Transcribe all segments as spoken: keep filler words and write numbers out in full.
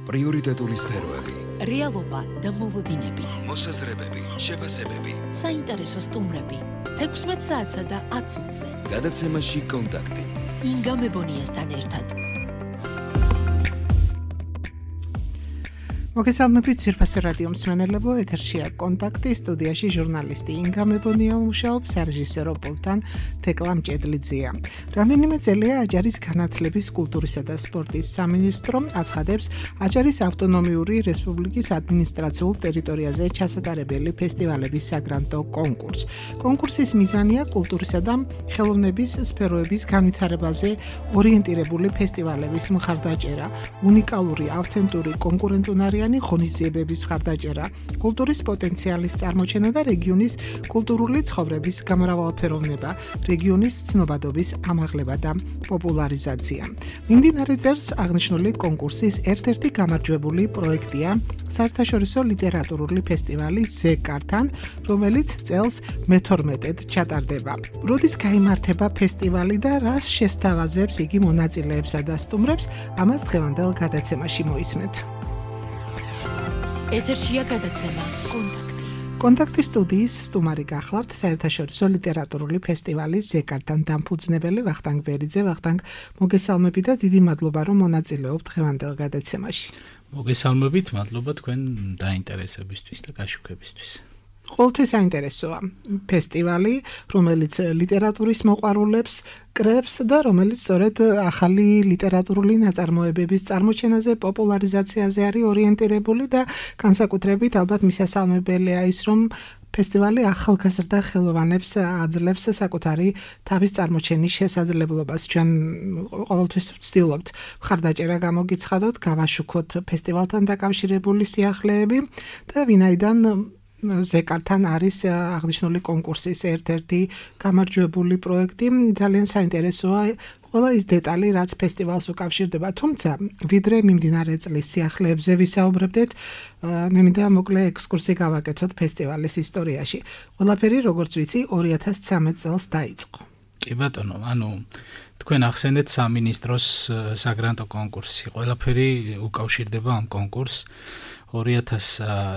პრიორიტეტული სფეროები, რეალობა და მოლოდინები, მოსაზრებები, შეფასებები, საინტერესო სტუმრები, თექვსმეტ საათსა და ათ წუთზე. გადაცემაში კონტაქტი. ინგა მებონიასთან ერთად. მოგესალმებით ძვირფასი რადიო მსმენელებო, ეთერშია კონტაქტი, სტუდიაში ჟურნალისტი ინგა მებონია მუშაობს, სარეჟისორო პულტთან თეკლა მჭედლიძეა. რამდენიმე წელია აჯარის განათლების, კულტურისა და სპორტის სამინისტრო აცხადებს აჯარის ავტონომიური რესპუბლიკის ადმინისტრაციულ ტერიტორიაზე ჩასატარებელი ფესტივალების საგრანტო კონკურსს. კონკურსის მიზანია კულტურისა და ხელოვნების სფეროების განვითარებაზე ორიენტირებული ფესტივალების მხარდაჭერა, უნიკალური, ავთენტური, კონკურენტუნარიანი ღონისძიებების მხარდაჭერა, კულტურის პოტენციალის წარმოჩენა და რეგიონის კულტურული ცხოვრების გამრავალფეროვნება, რეგიონის ცნობადობის ამაღლება და პოპულარიზაცია. მიმდინარე წელს აღნიშნული კონკურსის ერთ-ერთი გამარჯვებული პროექტია საერთაშორისო ლიტერატურული ფესტივალი ზეკართან, რომელიც წელს მეთორმეტედ ჩატარდება. როდის გაიმართება ფესტივალი და რას შესთავაზებს იგი მონაწილეებსა და სტუმრებს, ამას დღევანდელ გადაცემაში მოისმენთ. ეთერშია გადაცემა კონტაქტი. კონტაქტის სტუდიის სტუმარი გახლავთ საერთაშორისო ლიტერატურული ფესტივალის ზეკართან დამფუძნებელი ვახტანგ ბერიძე. ვახტანგ, მოგესალმები და დიდი მადლობა, რომ მონაწილეობთ დღევანდელ გადაცემაში. მოგესალმებით, მადლობა თქვენ დაინტერესებისთვის და გაშუქებისთვის. ყოველთვის საინტერესოა ფესტივალი, რომელიც ლიტერატურის მოყვარულებს კრებს და რომელიც სწორედ ახალი ლიტერატურული ნაწარმოებების წარმოჩენაზე, პოპულარიზაციაზე არის ორიენტირებული და განსაკუთრებით ალბათ მისასალმებელია ის, რომ ფესტივალი ახალგაზრდა ხელოვანებს აძლევს საკუთარი თავის წარმოჩენის შესაძლებლობას. ჩვენ ყოველთვის ვცდილობთ მხარდაჭერა გამოგიცხადოთ, გავაშუქოთ ფესტივალთან დაკავშირებული სიახლეები და ვინაიდან ზეკართან არის აღნიშნული კონკურსის ერთ-ერთი გამარჯვებული პროექტი, ძალიან საინტერესოა ყველა ის დეტალი, რაც ფესტივალს უკავშირდება. თუმცა, ვიდრე მიმდინარე წლის სიახლეებზე ვისაუბრებდეთ, მე მინდა მოკლე ექსკურსი გავაკეთოთ ფესტივალის ისტორიაში. ყველაფერი, როგორც ვიცი, ორი ათას ცხრამეტ წელს დაიწყო. კი ბატონო, ანუ თქვენ ახსენეთ სამინისტროს საგრანტო კონკურსი. ყველაფერი უკავშირდება ამ კონკურსს. ორი ათას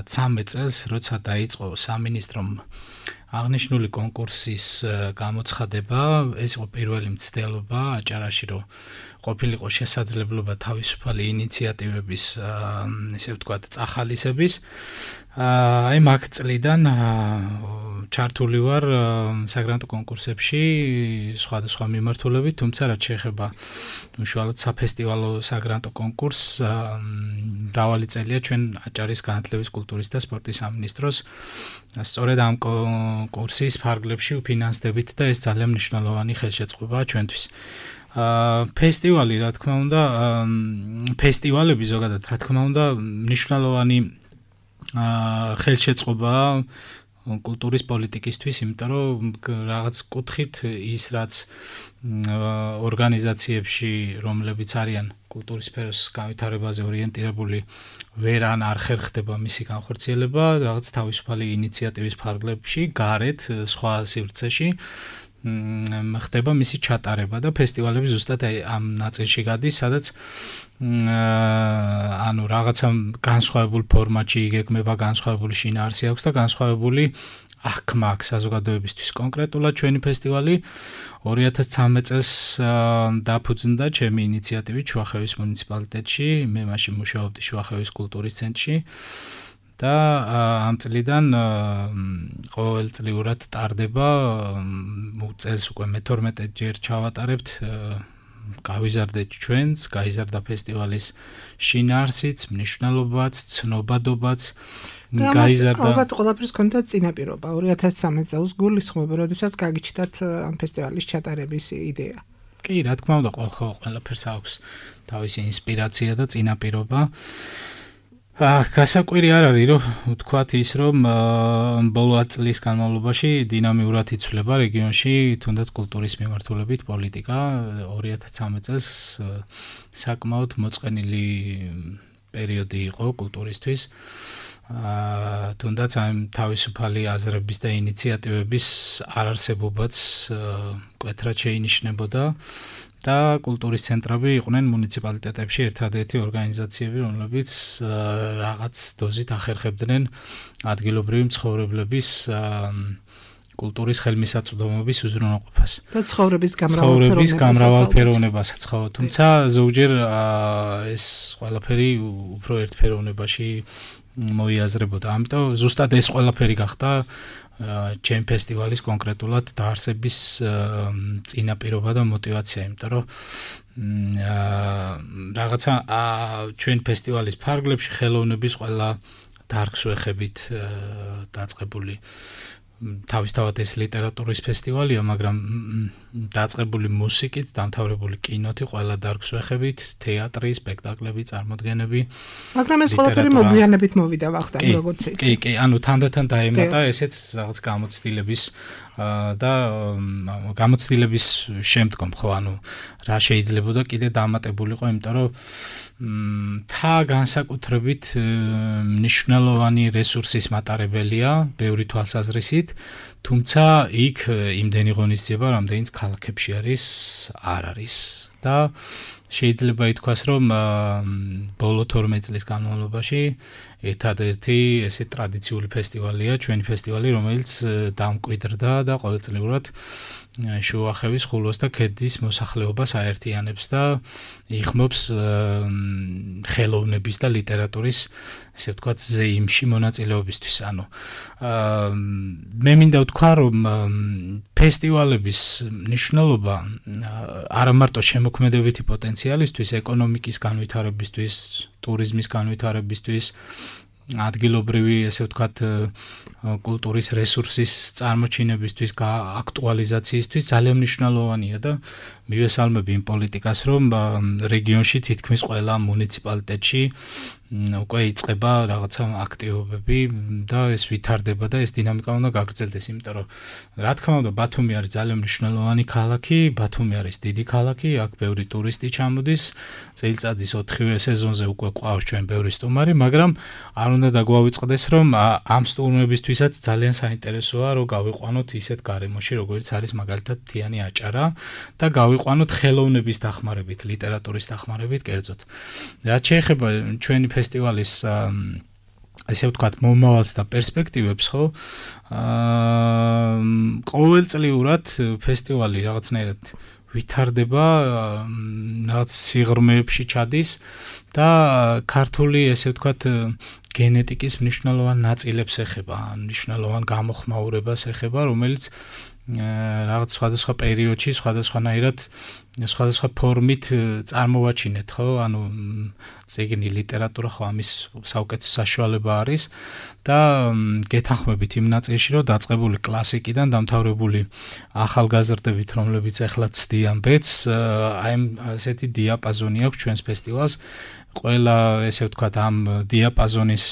ცხრამეტ წელს, როცა დაიწყო სამინისტრომ აღნიშნული კონკურსის გამოცხადება, ეს იყო პირველი მცდელობა აჭარაში, რომ ყოფილიყო შესაძლებლობა თავისუფალი ინიციატივების, ესე ვთქვათ, წახალისების. აი მაგ წლიდან ჩართული ვარ საგრანტო კონკურსებში სხვადასხვა მიმართულებით, თუმცა რაც შეეხება უშუალოდ საფესტივალო საგრანტო კონკურსს, მრავალი წელია ჩვენ აჭარის განათლების, კულტურის და სპორტის სამინისტროს სწორედ ამ კონკურსის ფარგლებში ვფინანსდებით და ეს ძალიან მნიშვნელოვანი ხელშეწყობაა ჩვენთვის. ფესტივალი, რა თქმა უნდა, ფესტივალები ზოგადად, რა თქმა უნდა, მნიშვნელოვანი ხელშეწყობაა კულტურის პოლიტიკისთვის, იმიტომ რომ რაღაც კუთხით ის, რაც ორგანიზაციებში, რომლებიც არიან კულტურის სფეროს განვითარებაზე ორიენტირებული, ვერ ან არ ხერხდება მისი განხორციელება, რაღაც თავისუფალი ინიციატივის ფარგლებში, გარეთ, სხვა სივრცეში ხდება მისი ჩატარება და ფესტივალები ზუსტად ამ ნაწილში გადის, სადაც ანუ რაღაცა განსხვავებულ ფორმატში იგეგმება, განსხვავებული შინაარსი აქვს და განსხვავებული აღქმა აქვს საზოგადოებისთვის. კონკრეტულად ჩვენი ფესტივალი ორი ათას ცხრამეტ წელს დაფუძნდა ჩემი ინიციატივით შუახევის მუნიციპალიტეტში, მე მაშინ მუშაობდი შუახევის კულტურის ცენტრში და ამ წლიდან ყოველწლიურად ტარდება, წელს უკვე მეთორმეტე ჯერ ჩავატარებთ, გავიზარდეთ ჩვენს, გაიზარდა ფესტივალის შინაარსიც, მნიშვნელობაც, ცნობადობაც, გაიზარდა. ალბათ ყველაფერს ჰქონდა წინაპირობა. ორი ათას ცხრამეტ წელს გულისხმობ, როდესაც გაგიჩნდათ ამ ფესტივალის ჩატარების იდეა. კი, რა თქმა უნდა, ყველაფერს აქვს თავისი ინსპირაცია და წინაპირობა. გასაკვირი არ არის, რომ ვთქვათ ის, რომ ბოლო ათ წლის განმავლობაში დინამიურად იცვლება რეგიონში თუნდაც კულტურის მიმართულებით პოლიტიკა. ორი ათას ცხრამეტ წელს საკმაოდ მოწყენილი პერიოდი იყო კულტურისთვის. აა თუნდაც ამ თავისუფალი აზრების და ინიციატივების არარსებობაც მკვეთრად შეინიშნებოდა და კულტურის ცენტრები იყვნენ მუნიციპალიტეტებში ერთადერთი ორგანიზაციები, რომლებიც რაღაც დოზით ახერხებდნენ ადგილობრივი მცხოვრებლების კულტურის ხელმისაწვდომობის უზრუნველყოფას და ცხოვრების გამრავალფეროვნებასაც, ხო, თუმცა ზოგჯერ ეს ყველაფერი უფრო ერთფეროვნებაში მოიაზრებოდა. ამიტომ ზუსტად ეს ყველაფერი გახდა ჩემ ფესტივალის კონკრეტულად დაარსების წინაპირობა და мотиваცია, იმიტომ რომ რაღაცა ჩვენ ფესტივალის ფარგლებში ხელოვნების ყველა დარგს ვეხებით დაწყებული თავისთავად ეს ლიტერატურის ფესტივალია, მაგრამ დაწყებული მუსიკით, დამთავრებული კინოთი, ყველა დარგს ვეხებით, თეატრი, სპექტაკლები, წარმოდგენები. მაგრამ ეს ყველაფერი მოგვიანებით მოვიდა ვახტანგ, როგორც იცი. კი, კი, ანუ თანდათან დაემატა ესეც რაღაც გამოცდილების და გამოცდილების შემდგომ, ხო, ანუ რა შეიძლებოდა კიდე დამატებულიყო, იმიტომ რომ თა განსაკუთრებით მნიშვნელოვანი რესურსის მატარებელია, ბევრი თვალსაზრისით, თუმცა იქ იმდენი ღონისძიება, რამდენიც ქალაქებში არის, არ არის და შეიძლება ითქვას, რომ ბოლო თორმეტ წლის განმავლობაში ერთადერთი ესე ტრადიციული ფესტივალია, ჩვენი ფესტივალი, რომელიც დამკვიდრდა და ყოველწლიურად შუახევის, ხულოს და ქედის მოსახლეობას აერთიანებს და იხმობს ხელოვნების და ლიტერატურის, ესე ვთქვათ, ზეიმში მონაწილეობისთვის. ანუ მე მინდა ვთქვა, რომ ფესტივალების მნიშვნელობა არა მარტო შემოქმედებითი პოტენციალისთვის, ეკონომიკის განვითარებისთვის, ტურიზმის განვითარებისთვის, ადგილობრივი, ესე ვთქვათ, კულტურის რესურსის წარმოჩინებისთვის, აქტუალიზაციისთვის ძალიან მნიშვნელოვანია და მივესალმები იმ პოლიტიკას, რომ რეგიონში თითქმის ყველა მუნიციპალიტეტში უკვე იწყება რაღაცა აქტივობები და ეს ვითარდება და ეს დინამიკა უნდა გაგრძელდეს, იმიტომ რომ რა თქმა უნდა ბათუმი არის ძალიან მნიშვნელოვანი ქალაქი, ბათუმი არის დიდი ქალაქი, აქ ბევრი ტურისტი ჩამოდის, წელიწადის ოთხივე სეზონზე უკვე ყავს ჩვენ ბევრი სტუმარი, მაგრამ არ უნდა დაგვავიწყდეს, რომ ამ სტუმრებისთვისაც ძალიან საინტერესოა, რომ გავიყვანოთ ისეთ გარემოში, როგორც არის მაგალითად თიანი აჭარა და გავიყვანოთ ხელოვნების დახმარებით, ლიტერატურის დახმარებით, კერძოდ. რაც შეეხება ჩვენი ფესტივალის ესე ვთქვათ, მომავალს და პერსპექტივებს, ხო? აა ყოველწლიურად ფესტივალი რაღაცნაირად ვითარდება, რაღაც სიღრმეებში ჩადის და ქართული, ესე ვთქვათ, გენეტიკის მნიშვნელოვან ნაწილებს ეხება, მნიშვნელოვან გამოხმაურებას ეხება, რომელიც რაღაც სხვადასხვა პერიოდში, სხვადასხვანაირად, სხვადასხვა ფორმით წარმოვაჩინეთ, ხო? ანუ წიგნი, ლიტერატურა, ხო, ამის საუკეთესო საშუალება არის და გეთანხმებით იმ ნაწილში, რომ დაწყებული კლასიკიდან დამთავრებული ახალგაზრდებით, რომლებიც ახლა ცდიან ბედს, აი ასეთი დიაპაზონი აქვს ჩვენს ფესტივალს. ყველა, ესე ვთქვათ, ამ დიაპაზონის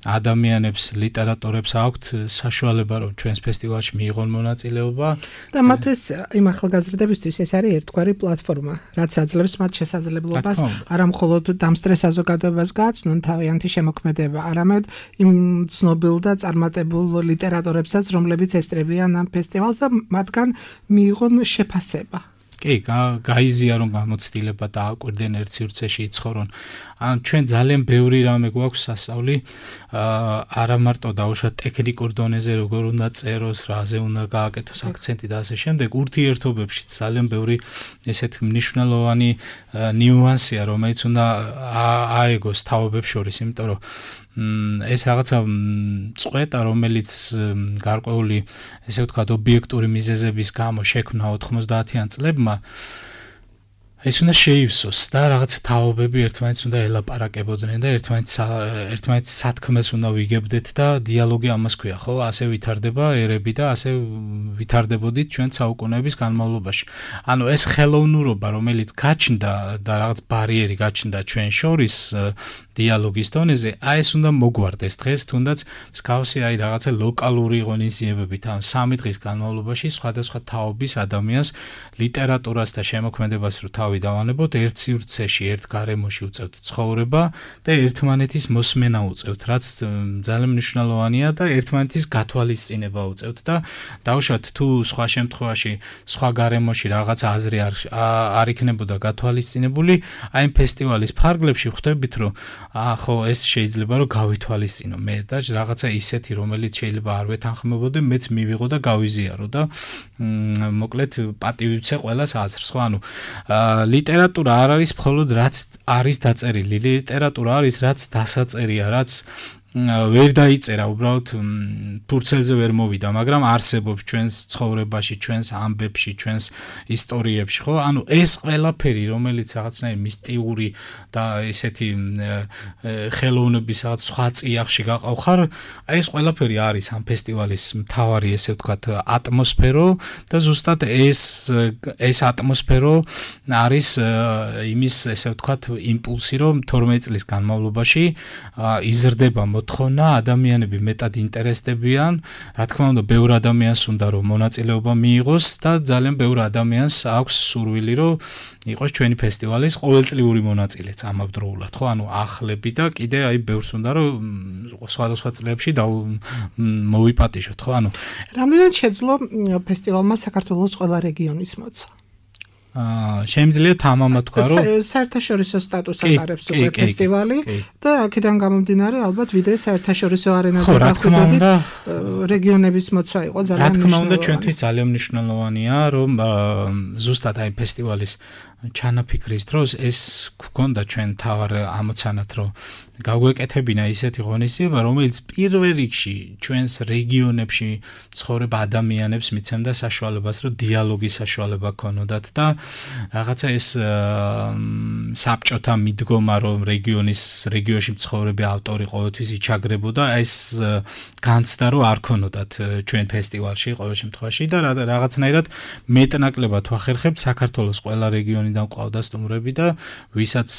ადამიანებს, ლიტერატორებს აქვთ საშუალება, რომ ჩვენს ფესტივალში მიიღონ მონაწილეობა. და მათთვის იმ ახალგაზრდებისთვის ეს არის ერთგვარი პლატფორმა, რაც აძლევს მათ შესაძლებლობას არა მხოლოდ დამსწრე საზოგადოებას გააცნონ თავიანთი შემოქმედება, არამედ იმ ცნობილ და წარმატებულ ლიტერატორებსაც, რომლებიც ესწრებიან ამ ფესტივალს და მათგან მიიღონ შეფასება. კი, გაიზიარონ გამოცდილება და აკვირდნენ ერთ სივრცეში იცხოვრონ. ან ჩვენ ძალიან ბევრი რამე გვაქვს სასწავლი, არა მარტო დაუშვათ ტექნიკურ დონეზე, როგორ უნდა წეროს, რაზე უნდა გააკეთოს აქცენტი და ასე შემდეგ, ურთიერთობებში ძალიან ბევრი ესეთ მნიშვნელოვანი ნიუანსია, რომელიც უნდა აეგოს თაობებს შორის, იმიტომ რომ ეს რაღაცა წყვეტა, რომელიც გარკვეული, ესე ვთქვათ, ობიექტური მიზეზების გამო შექმნა ოთხმოცდაათიან წლებმა, ეს უნდა შეივსოს და რაღაც თაობები ერთმანეთს უნდა ელაპარაკებოდნენ და ერთმანეთს ერთმანეთს სათქმეს უნდა ვიგებდეთ და დიალოგი ამას ქვია, ხო? ასე ვითარდება ერები და ასე ვითარდებოდით ჩვენ საუკუნეების განმავლობაში. ანუ ეს ხელოვნურობა, რომელიც გაჩნდა და რაღაც ბარიერი გაჩნდა ჩვენ შორის დიალოგის დონეზე, აი ეს უნდა მოგვარდეს დღეს, თუნდაც მსგავსი აი რაღაცა ლოკალური ღონისძიებებით, ან სამი დღის განმავლობაში სხვადასხვა თაობის ადამიანს ლიტერატურას და შემოქმედებას რო თავი დავანებოთ, ერთ სივრცეში, ერთ გარემოში უწევთ ცხოვრება და ერთმანეთის მოსმენა უწევთ, რაც ძალიან მნიშვნელოვანია და ერთმანეთის გათვალისწინება უწევთ და დავუშვათ თუ სხვა შემთხვევაში, სხვა გარემოში რაღაც აზრი არ არ იქნებოდა გათვალისწინებული, აი ამ ფესტივალის ფარგლებში ხვდებით, რომ აა ხო ეს შეიძლება რომ გავითვალისწინო მე და რაღაცა ისეთი, რომელიც შეიძლება არ ვეთანხმებოდე, მეც მივიღო და გავიზიარო და მოკლედ პატივიცე ყველას აზრს, ხო, ანუ ლიტერატურა არ არის მხოლოდ რაც არის დაწერილი, ლიტერატურა არის რაც დასაწერია, რაც ვერ დაიწერა, უბრალოდ ფურცელზე ვერ მოვიდა, მაგრამ არსებობს ჩვენს ცხოვრებაში, ჩვენს ამბებში, ჩვენს ისტორიებში, ხო? ანუ ეს ყველაფერი, რომელიც რაღაცნაირი მისტიური და ესეთი ხელოვნების რაღაც სხვა წიაღში გაყავხარ, აი ეს ყველაფერი არის ამ ფესტივალის მთავარი, ესე ვთქვათ, ატმოსფერო და ზუსტად ეს ეს ატმოსფერო არის იმის, ესე ვთქვათ, იმპულსი, რომ თორმეტ წლის განმავლობაში იზრდება მოთხოვნა, ადამიანები მეტად ინტერესდებიან, რა თქმა უნდა, ბევრ ადამიანს უნდა რომ მონაწილეობა მიიღოს და ძალიან ბევრ ადამიანს აქვს სურვილი რომ იყოს ჩვენი ფესტივალის ყოველწლიური მონაწილეც ამავდროულად, ხო, ანუ ახლები და კიდე აი ბევრს უნდა რომ სხვადასხვა წლებში მოვიპატიჟოთ, ხო, ანუ რამდენად შეძლო ფესტივალმა საქართველოს ყველა რეგიონის მოცვა? აა შემიძლია თამამად თქვა რომ საერთაშორისო სტატუსს ატარებს უკვე ფესტივალი და აქედან გამომდინარე ალბათ ვიდრე საერთაშორისო არენაზე დახვიდოდით რეგიონების მოცვა იყო ძალიან მნიშვნელოვანი. რა თქმა უნდა ჩვენთვის ძალიან მნიშვნელოვანია რომ ზუსტად აი ფესტივალის ჩანაფიქრის დროს ეს გქონდა ჩვენ თავარ ამოცანად რომ გავგვეკეთებინა ისეთი ღონისძიება, რომელიც პირველ რიგში ჩვენს რეგიონებში ცხოვრებ ადამიანებს მიცემდა საშუალებას, რომ დიალოგის საშუალება ქონოდათ და რაღაცა ეს საბჭოთა მიდგომა, რომ რეგიონის რეგიონში მცხოვრები ავტორი ყოველთვის იჩაგრებოდა, ეს განცდა რომ არ ქონოდათ ჩვენ ფესტივალში ყოველ შემთხვევაში და რაღაცნაირად მეტნაკლებად ვახერხებთ საქართველოს ყველა რეგიონიდან ყავდა სტუმრები და ვისაც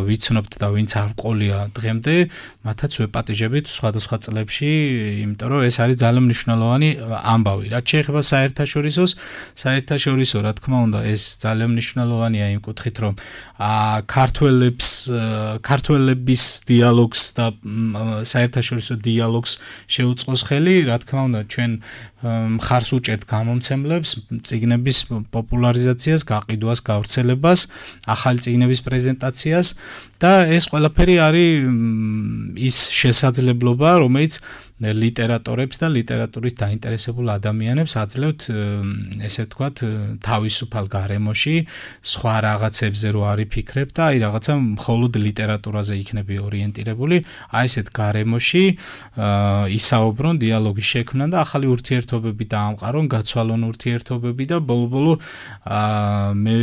ვიცნობთ და ვინც არ ყოლია დღემდე მათაც ვეპატიჟებით სხვადასხვა წლებში, იმიტომ რომ ეს არის ძალიან მნიშვნელოვანი ამბავი. რაც შეეხება საერთაშორისოს, საერთაშორისო, რა თქმა უნდა, ეს ძალიან მნიშვნელოვანია იმ კუთხით, რომ ქართველებს, ქართველების დიალოგს და საერთაშორისო დიალოგს შეუწყოს ხელი, რა თქმა უნდა, ჩვენ მხარს უჭერთ გამომცემლებს, წიგნების პოპულარიზაციას, გაყიდვას, გავრცელებას, ახალი წიგნების პრეზენტაციას და ეს ყველაფერი არის ის შესაძლებლობა, რომელიც ლიტერატორებს და ლიტერატურით დაინტერესებულ ადამიანებს აძლევთ, ესე ვთქვათ, თავისუფალ გარემოში სხვა რაღაცებზე რო არ იფიქრებ და აი რაღაცა მხოლოდ ლიტერატურაზე იქნები ორიენტირებული, აი ესეთ გარემოში ისაუბრონ, დიალოგი შექმნან და ახალი ურთიერთობები დაამყარონ, გაცვალონ ურთიერთობები და ბოლო-ბოლო მე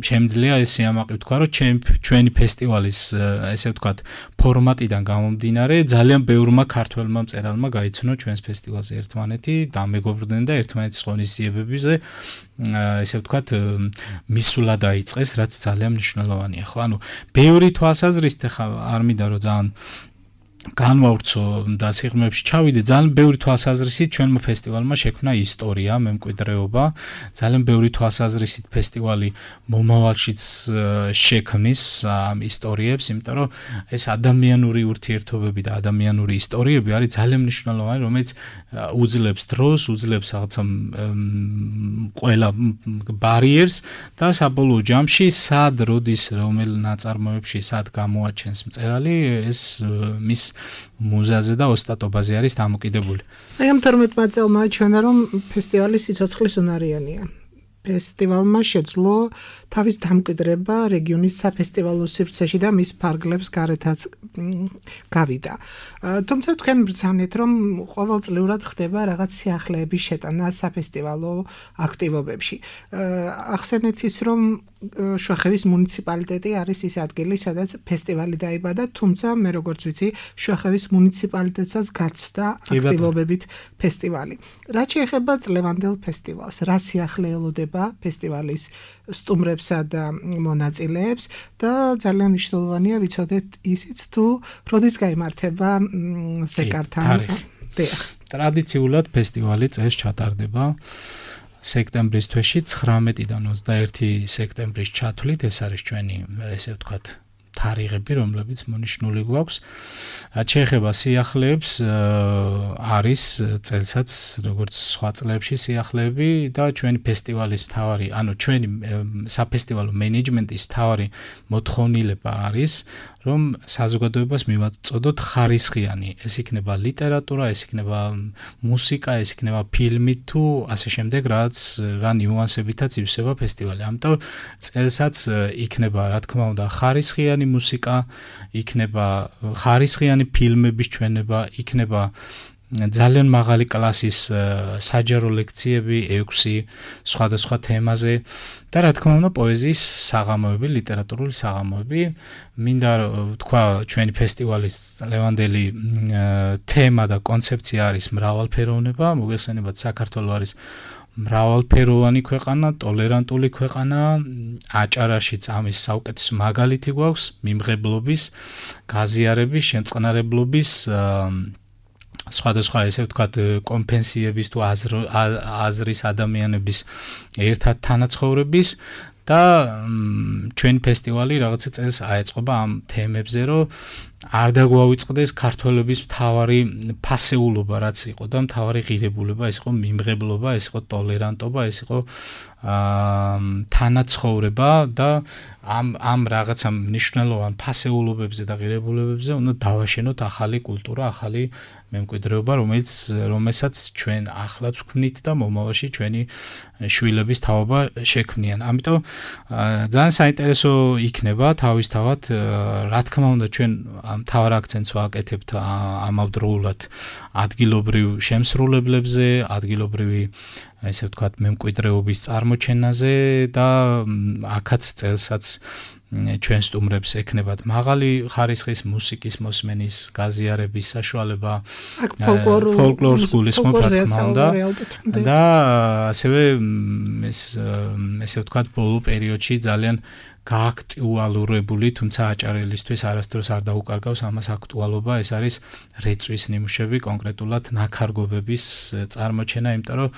შემიძლია ეს სიამაყე ვთქვა, რომ ჩვენი ფესტივალის ესე ვთქვათ ფორმატიდან გამომდინარე ძალიან ბევრმა ქართველმა მწერალმა გაიცნო ჩვენს ფესტივალზე ერთმანეთი, დამეგობრდნენ და ერთმანეთის ღონისძიებებზე ესე ვთქვათ მისულა დაიწყეს, რაც ძალიან მნიშვნელოვანია, ხო? ანუ ბევრი თვალსაზრისით ხა არ მინდა რომ ძალიან განვავრცო და სიღრმეებში ჩავიდე, ძალიან ბევრი თვალსაზრისით ჩვენმა ფესტივალმა შექმნა ისტორია, მემკვიდრეობა, ძალიან ბევრი თვალსაზრისით ფესტივალი მომავალშიც შექმნის ამ ისტორიებს, იმიტომ რომ ეს ადამიანური ურთიერთობები და ადამიანური ისტორიები არის ძალიან მნიშვნელოვანი, რომელიც უძლებს დროს, უძლებს რაღაცა ყველა ბარიერს და საბოლოო ჯამში სად როდის რომელ ნაწარმოებში სად გამოაჩენს მწერალი, ეს მის მუზაზე და ოსტატობაზე არის დამოკიდებული. აი ამ თორმეტმა წელმა აჩვენა, რომ ფესტივალი სიცოცხლის უნარიანია. ფესტივალმა შეძლო თავის დამკვიდრება რეგიონის საფესტივალო სივრცეში და მის ფარგლებს გარეთაც გავიდა. თუმცა თქვენ ბრძანეთ, რომ ყოველწლიურად ხდება რაღაც სიახლეების შეტანა საფესტივალო აქტივობებში. ახსენეთ ის, რომ შუახევის მუნიციპალიტეტი არის ის ადგილი, სადაც ფესტივალი დაიბადა, თუმცა მე როგორც ვიცი, შუახევის მუნიციპალიტეტსაც გაცდა აქტივობებით ფესტივალი. რაც შეეხება წლევანდელ ფესტივალს, რა სიახლე ელოდება ფესტივალის სტუმრებსა და მონაწილეებს და ძალიან მნიშვნელოვანია ვიცოდეთ ისიც თუ როდის გაიმართება ზეკართან. ტრადიციულად ფესტივალი წელს ჩატარდება. სექტემბრის თვეში ცხრამეტიდან ოცდაერთი სექტემბრის ჩათვლით ეს არის ჩვენი ესე ვთქვათ თარიღები, რომლებიც მონიშნული გვაქვს. შეეხება სიახლეებს, არის წელსაც როგორც სხვა წლებში სიახლეები და ჩვენი ფესტივალის მთავარი, ანუ ჩვენი საფესტივალო მენეჯმენტის მთავარი მოთხოვნილება არის, რომ საზოგადოებას მივაწოდოთ ხარისხიანი, ეს იქნება ლიტერატურა, ეს იქნება მუსიკა, ეს იქნება ფილმი თუ ასე შემდეგ, რაც რა ნიუანსებითაც ივსება ფესტივალი. ამიტომ წელსაც იქნება, რა თქმა უნდა, ხარისხიანი მუსიკა, იქნება ხარისხიანი ფილმების ჩვენება, იქნება ძალიან მაღალი კლასის საჯარო ლექციები ექვსი სხვადასხვა თემაზე და რა თქმა უნდა პოეზიის საღამოები, ლიტერატურული საღამოები. მინდა თქვა ჩვენი ფესტივალის ლევანდელი თემა და კონცეფცია არის მრავალფეროვნება, მოგესალმებათ საქართველო არის მრავალფეროვანი ქვეყანა, ტოლერანტული ქვეყანა, აჭარაშიც ამის საუკეთესო მაგალითი გვაქვს, მიმღებლობის, გაზიარების, შემწყნარებლობის სხვადასხვა ესე ვთქვათ კომპენსიების თუ აზრის ადამიანების ერთად თანაცხოვრების და ჩვენი ფესტივალი რაღაცა წელს აეწყობა ამ თემებზე, რომ არ დაგვავიწყდეს ქართველების მთავარი ფასეულობა, რაც იყო და მთავარი ღირებულება, ეს იყო მიმღებლობა, ეს იყო ტოლერანტობა, ეს იყო თანაცხოვრება და ამ ამ რაღაცა მნიშვნელოვან ფასეულობებზე და ღირებულებებზე უნდა დავაშენოთ ახალი კულტურა, ახალი მემკვიდრეობა, რომელიც რომელსაც ჩვენ ახლაც ვქმნით და მომავალში ჩვენი შვილების თაობა შექმნიან. ამიტომ ძალიან საინტერესო იქნება თავისთავად, რა თქმა უნდა ჩვენ მთავარ აქცენტს ვაკეთებთ ამავდროულად ადგილობრივ შემსრულებლებზე, ადგილობრივი ესე ვთქვათ მემკვიდრეობის წარმოჩენაზე და აქაც წელსაც ჩვენ სტუმრებს ექნებათ მაღალი ხარისხის მუსიკის მოსმენის, გაზიარების საშუალება, ფოლკლორს გულისხმობ რა თქმა უნდა და ასევე ეს ესე ვთქვათ ბოლო პერიოდში ძალიან გააქტუალურებული, თუმცა აჭარელისთვის არასდროს არ დაუკარგავს ამას აქტუალობა, ეს არის რეწვის ნიმუშები, კონკრეტულად ნაქარგობების წარმოჩენა, იმიტომ რომ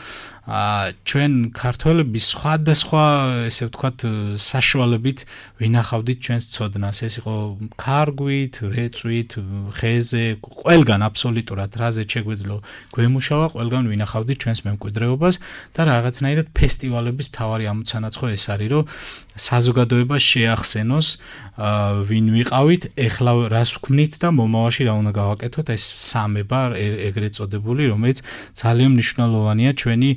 ჩვენ ქართველების სხვადასხვა ესე ვთქვათ საშუალებით ვინახავდით ჩვენს ცოდნას, ეს იყო ქარგვით, რეწვით, ხეზე, ყველგან აბსოლუტურად რაზე შეგვეძლო გვემუშავა, ყველგან ვინახავდით ჩვენს მემკვიდრეობას და რაღაცნაირად ფესტივალების მთავარი ამოცანაცხო ეს არის, რომ საზოგადოება შეახსენოს ვინ ვიყავით, ეხლა რას ვქმნით და მომავალში რა უნდა გავაკეთოთ, ეს სამება ეგრეთ წოდებული, რომელიც ძალიან მნიშვნელოვანია ჩვენი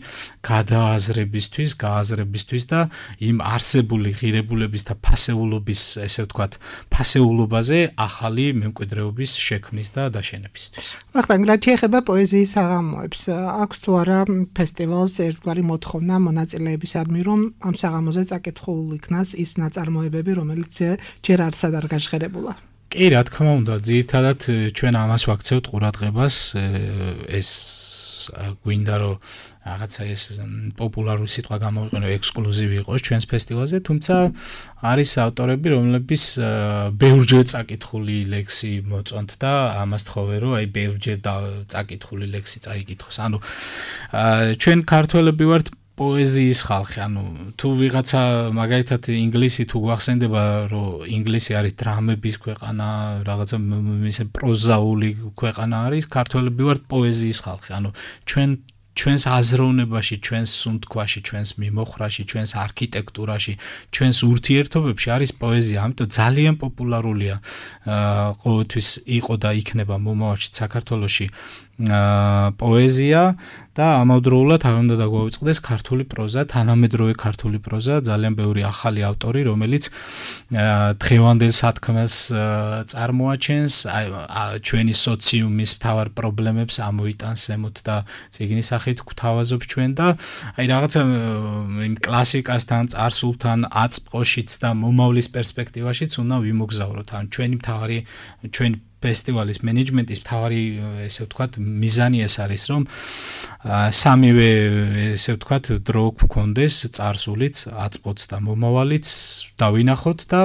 გადააზრებისთვის, გააზრებისთვის და იმ არსებული ღირებულების და ფასეულობის, ესე ვთქვათ, ფასეულობაზე ახალი მემკვიდრეობის შექმნის და დაშენებისთვის. ვახტანგ, რა შეეხება პოეზიის საღამოებს, აქვს თუ არა ფესტივალს ერთგვარი მოთხოვნა მონაწილეებისადმი, რომ ამ საღამოზე წაკითხულ იქნას ის ნაწარმოებები, რომელიც ჯერ არსად არ გაჟღერებულა. კი, რა თქმა უნდა, ძირითადად ჩვენ ამას ვაქცევთ ყურადღებას, ეს გვინდა რომ რაღაცა ეს პოპულარული სიტყვა გამოვიყენო, ექსკლუზივი იყოს ჩვენს ფესტივალზე, თუმცა არის ავტორები, რომლებიც ბევრჯერ წაკითხული ლექსი მოწონთ და ამას თხოვე, რომ აი ბევრჯერ წაკითხული ლექსი წაიკითხოს. ანუ ჩვენ ქართველები ვართ პოეზიის ხალხი, ანუ თუ ვიღაცა მაგალითად ინგლისი თუ გვახსენდება, რომ ინგლისი არის დრამების ქვეყანა, რაღაცა ისე პროზაული ქვეყანა არის, ქართველები ვართ პოეზიის ხალხი, ანუ ჩვენ ჩვენს აზროვნებაში, ჩვენს სუნთქვაში, ჩვენს მიმოხრაში, ჩვენს არქიტექტურაში, ჩვენს ურთიერთობებში არის პოეზია, ამიტომ ძალიან პოპულარულია ყოველთვის იყო და იქნება მომავალში საქართველოში პოეზია და ამავდროულად არ უნდა დაგვავიწყდეს ქართული პროზა, თანამედროვე ქართული პროზა, ძალიან ბევრი ახალი ავტორი, რომელიც დღევანდელ სათქმელს წარმოაჩენს, ჩვენი სოციუმის მთავარ პრობლემებს ამოიტანს ზემოთ და წიგნის სახით გვთავაზობს ჩვენ და აი რაღაცა იმ კლასიკასთან, წარსულთან, აწმყოშიც და მომავლის პერსპექტივაშიც უნდა ვიმოგზავროთ. ან ჩვენი მთავარი ჩვენი ფესტივალის მენეჯმენტის მთავარი ესე ვთქვათ მიზანი ეს არის რომ სამივე ესე ვთქვათ დრო გქონდეს წარსულიც აწმყოც და მომავალიც დავინახოთ და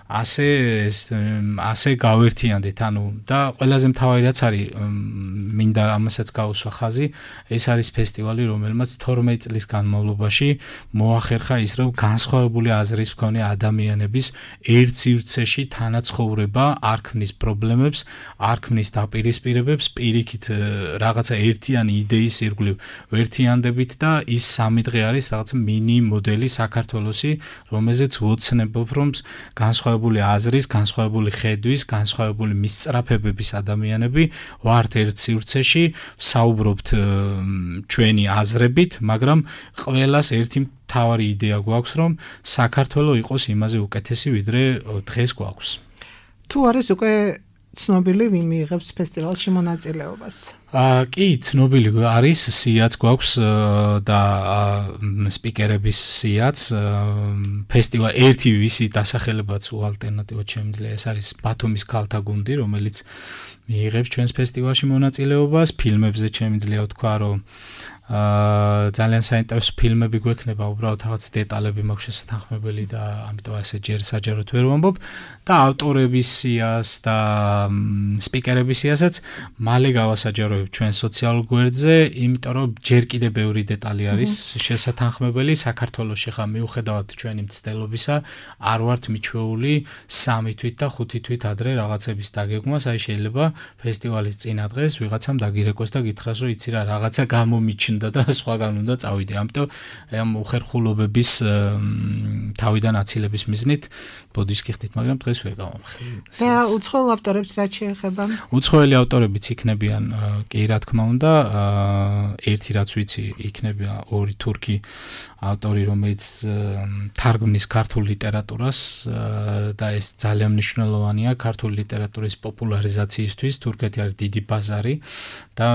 ასე ასე გავერთიანდეთ ანუ და ყველაზე მთავარი რაც არის მინდა ამასაც გავუსვა ხაზი ეს არის ფესტივალი რომელმაც თორმეტ წლის განმავლობაში მოახერხა ის რომ განსხვავებული აზრის მქონე ადამიანების ერთ სივრცეში თანაცხოვრება არ ქმნის პრობლემებს არ ქმნის დაპირისპირებებს პირიქით რაღაცა ერთიანი იდეის ირგვლივ ვერთიანდებით და ის სამი დღე არის რაღაც მინი მოდელი საქართველოსი რომელზეც ვოცნებობ რომ განსხვავებული აზრის განსხვავებული ხედვის განსხვავებული მისწრაფებების ადამიანები ვართ ერთ სივრცეში საუბრობთ ჩვენი აზრებით მაგრამ ყველას ერთი მთავარი იდეა გვაქვს რომ საქართველო იყოს იმაზე უკეთესი ვიდრე დღეს გვაქვს თუ არის უკვე ცნობილი ვინ მიიღებს ფესტივალში მონაწილეობას? აა კი, ცნობილი არის, სიაც გვაქვს და სპიკერების სიაც. ფესტივალ ერთი ვისი დასახელებაც უალტერნატივად შემიძლია ეს არის ბათუმის ქალთა გუნდი, რომელიც მიიღებს ჩვენს ფესტივალში მონაწილეობას. ფილმებზე შემიძლია ვთქვა, რომ აა ძალიან საინტერესო ფილმები გვექნება, უბრალოდ რაღაც დეტალები მაქვს შესათანხმებელი და ამიტომ ასე ჯერ საჯაროდ ვერ ვამბობ და ავტორების სიას და სპიკერების სიასაც მალე გავასაჯაროებ ჩვენ სოციალურ გვერდზე, იმიტომ რომ ჯერ კიდევ ბევრი დეტალი არის შესათანხმებელი. საქართველოში ხა მიუხედავად ჩვენი მცდელობისა, არ ვართ მიჩვეული სამი თვით და ხუთი თვით ადრე რაღაცების დაგეგმვას, აი შეიძლება ფესტივალის წინა დღეს ვიღაცამ დაგირეკოს და გითხრას, რომ იცი რა, რაღაცა გამომიჩნდა და სხვაგან უნდა წავიდე. ამიტომ ამ უხერხულობების თავიდან აცილების მიზნით ბოდიშ გიხდით, მაგრამ დღეს ვერ გავამხილე. და უცხოელ ავტორებს რაც შეეხება? უცხოელი ავტორებიც იქნებიან, კი რა თქმა უნდა, ერთი რაც ვიცი, იქნება ორი თურქი ავტორი, რომელიც თარგმნის ქართულ ლიტერატურას და ეს ძალიან მნიშვნელოვანია ქართული ლიტერატურის პოპულარიზაციისთვის. თურქეთი არის დიდი ბაზარი და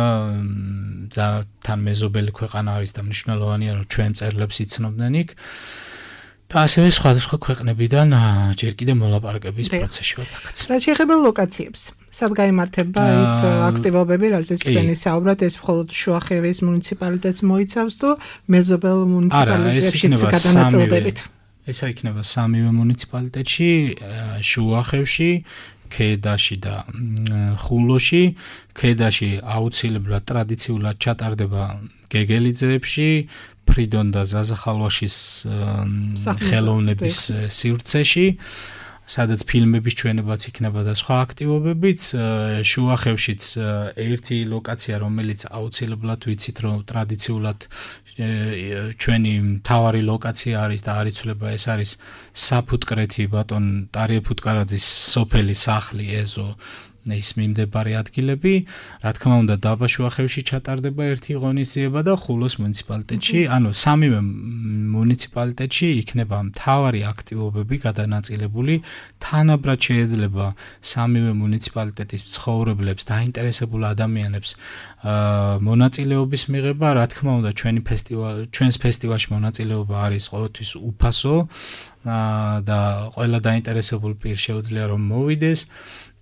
თან მეზობელი ქვეყანა არის და მნიშვნელოვანია რომ ჩვენ წერილებს იცნობდნენ იქ. და ასევე სხვადასხვა ქვეყნებიდან ჯერ კიდევ მოლაპარაკების პროცესში ვარ დაკაც. რაც შეეხება ლოკაციებს, სად გაიმართება ეს აქტივობები, რაზეც თქვენი საუბრად, ეს მხოლოდ შუახევის მუნიციპალიტეტს მოიცავს თუ მეზობელ მუნიციპალიტეტებშიც გადანაწილდებით? ეს იქნება სამივე მუნიციპალიტეტში, შუახევში, ქედაში და ხულოში. ქედაში აუცილებლად ტრადიციულად ჩატარდება გეგელიძეებში, ფრიდონ და ზაზახალვაშის ხელოვნების სივრცეში, სადაც ფილმების ჩვენებაც იქნება და სხვა აქტივობებიც. შუახევშიც ერთი ლოკაცია, რომელიც აუცილებლად ვიცით, რომ ტრადიციულად ჩვენი მთავარი ლოკაცია არის და არ იცვლება, ეს არის საფუტკრეთი ბატონ ტარიე ფუტკარაძის სოფელი სახლი ეზო ის მიმდებარე ადგილები. რა თქმა უნდა, დაბა შუახევში ჩატარდება ერთი ღონისძიება და ხულოს მუნიციპალიტეტში, ანუ სამივე მუნიციპალიტეტში იქნება მთავარი აქტივობები გადანაწილებული. თანაბრად შეიძლება სამივე მუნიციპალიტეტის მცხოვრებლებს, დაინტერესებულ ადამიანებს მონაწილეობის მიღება. რა თქმა უნდა, ჩვენი ფესტივალი, ჩვენს ფესტივალში მონაწილეობა არის ყოველთვის უფასო და ყველა დაინტერესებულ პირ შეუძლია რომ მოვიდეს.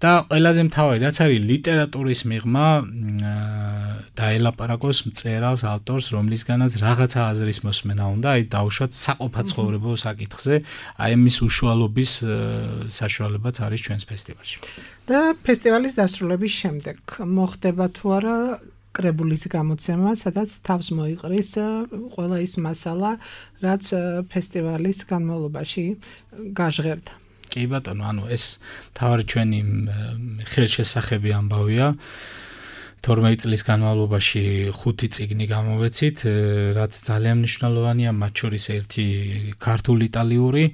და ყველაზე მთავარი რაც არის ლიტერატურის მიღმა დაელაპარაკოს მწერალს, ავტორს, რომლისგანაც რაღაცა აზრის მოსმენა უნდა, აი დაუშვათ საყოფაცხოვრებო საკითხზე, აი ამის უშუალობის საშუალებაც არის ჩვენს ფესტივალში. და ფესტივალის დასრულების შემდეგ მოხდება თუ არა კრებულის გამოცემა, სადაც თავს მოიყრის ყველა ის მასალა, რაც ფესტივალის განმავლობაში გაჟღერდა. კი ბატონო, ანუ ეს თავარი ჩვენი ხელშესახები ამბავია. თორმეტ წლის განმავლობაში ხუთი წიგნი გამოვეცით, რაც ძალიან მნიშვნელოვანია, მათ შორის ერთი ქართული იტალიური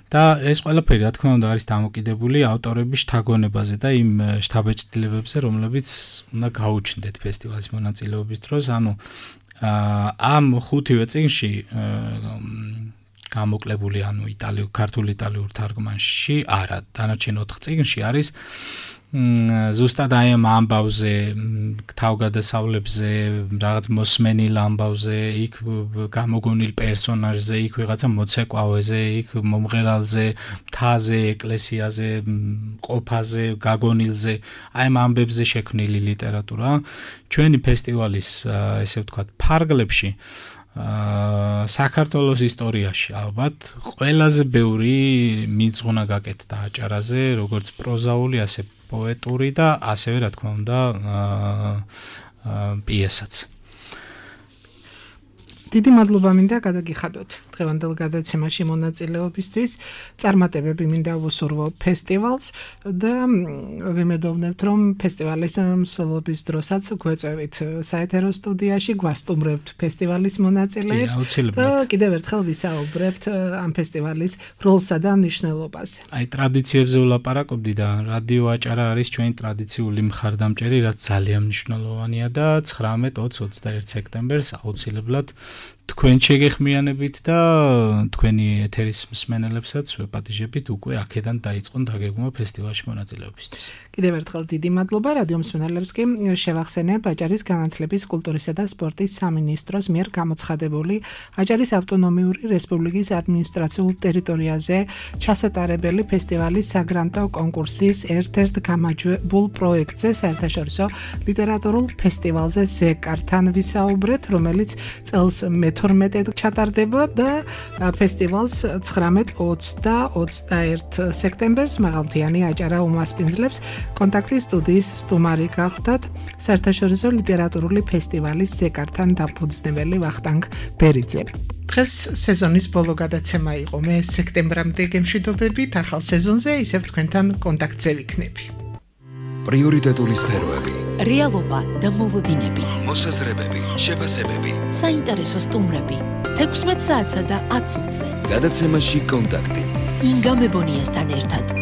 და ეს ყველაფერი რა თქმა უნდა არის დამოკიდებული ავტორების შთაგონებაზე და იმ შთაბეჭდილებებზე, რომლებიც უნდა გაუჩნდეთ ფესტივალის მონაწილეობის დროს. ანუ ამ ხუთივე წიგნში გამოკლებული, ანუ იტალიურ, ქართულ იტალიურ თარგმანში არა, დანარჩენ ოთხ წიგნში არის ზუსტად აი ამ ამბავზე, თავგადასავლებზე, რაღაც მოსმენილ ამბავზე, იქ გამოგონილ პერსონაჟზე, იქ ვიღაცა მოცეკვავეზე, იქ მომღერალზე, მთაზე, ეკლესიაზე, ყოფაზე, გაგონილზე, აი ამ ამბებზე შექმნილი ლიტერატურა. ჩვენი ფესტივალის, ესე ვთქვათ, ფარგლებში აა საქართველოს ისტორიაში ალბათ ყველაზე ბევრი მიძღუნა გაკეთდა აჭარაზე, როგორც პროზაული, ასე პოეტური და ასევე რა თქმა უნდა აა პიესაც. დიდი მადლობა მინდა გადაგიხადოთ დღევანდელ გადაცემაში მონაწილეობისთვის. წარმატებები მინდა ვუსურვო ფესტივალს და ვიმედოვნებთ, რომ ფესტივალის მსვლელობის დროსაც გვეწევით საეთერო სტუდიაში, გვასტუმრებთ ფესტივალის მონაწილეებს და კიდევ ერთხელ ვისაუბრებთ ამ ფესტივალის როლსა და მნიშვნელობას. აი ტრადიციებზე ვლაპარაკობდი და რადიო აჭარა არის ჩვენი ტრადიციული მხარდამჭერი, რაც ძალიან მნიშვნელოვანია და ცხრამეტ, ოცი, ოცდაერთი სექტემბერს აუცილებლად თქვენ შეგეხმიანებით და თქვენი ეთერის მსმენელებსაც ვეპატიჟებით უკვე აქედან დაიწყონ დაგეგმვა ფესტივალში მონაწილეობისთვის. კიდევ ერთხელ დიდი მადლობა რადიო მსმენელებს კი შევახსენებ აჭარის განათლების, კულტურისა და სპორტის სამინისტროს მიერ გამოცხადებული აჭარის ავტონომიური რესპუბლიკის ადმინისტრაციულ ტერიტორიაზე ჩასატარებელი ფესტივალის საგრანტო კონკურსის ერთ-ერთ გამარჯვებულ პროექტზე, საერთაშორისო ლიტერატურულ ფესტივალზე ზეკართან ვისაუბრეთ, რომელიც წელს მეთორმეტედ ჩატარდება და ფესტივალს ცხრამეტ, ოცი და ოცდაერთი სექტემბერს მაღალმთიანი აჭარა უმასპინძლებს. კონტაქტის სტუდიის სტუმარი გახდათ საერთაშორისო ლიტერატურული ფესტივალის ზეკართან დაფუძნებელი ვახტანგ ბერიძე. დღეს სეზონის ბოლო გადაცემა იყო. მე სექტემბრამდე გემშვიდობებით, ახალ სეზონზე ისევ თქვენთან კონტაქტზე ვიქნები. პრიორიტეტული სფეროები, რეალობა და მოლოდინები, მოსაზრებები, შეფასებები, საინტერესო სტუმრები, თექვსმეტ საათსა და ათ წუთზე. გადაცემაში კონტაქტი. ინგა მებონიასთან ერთად.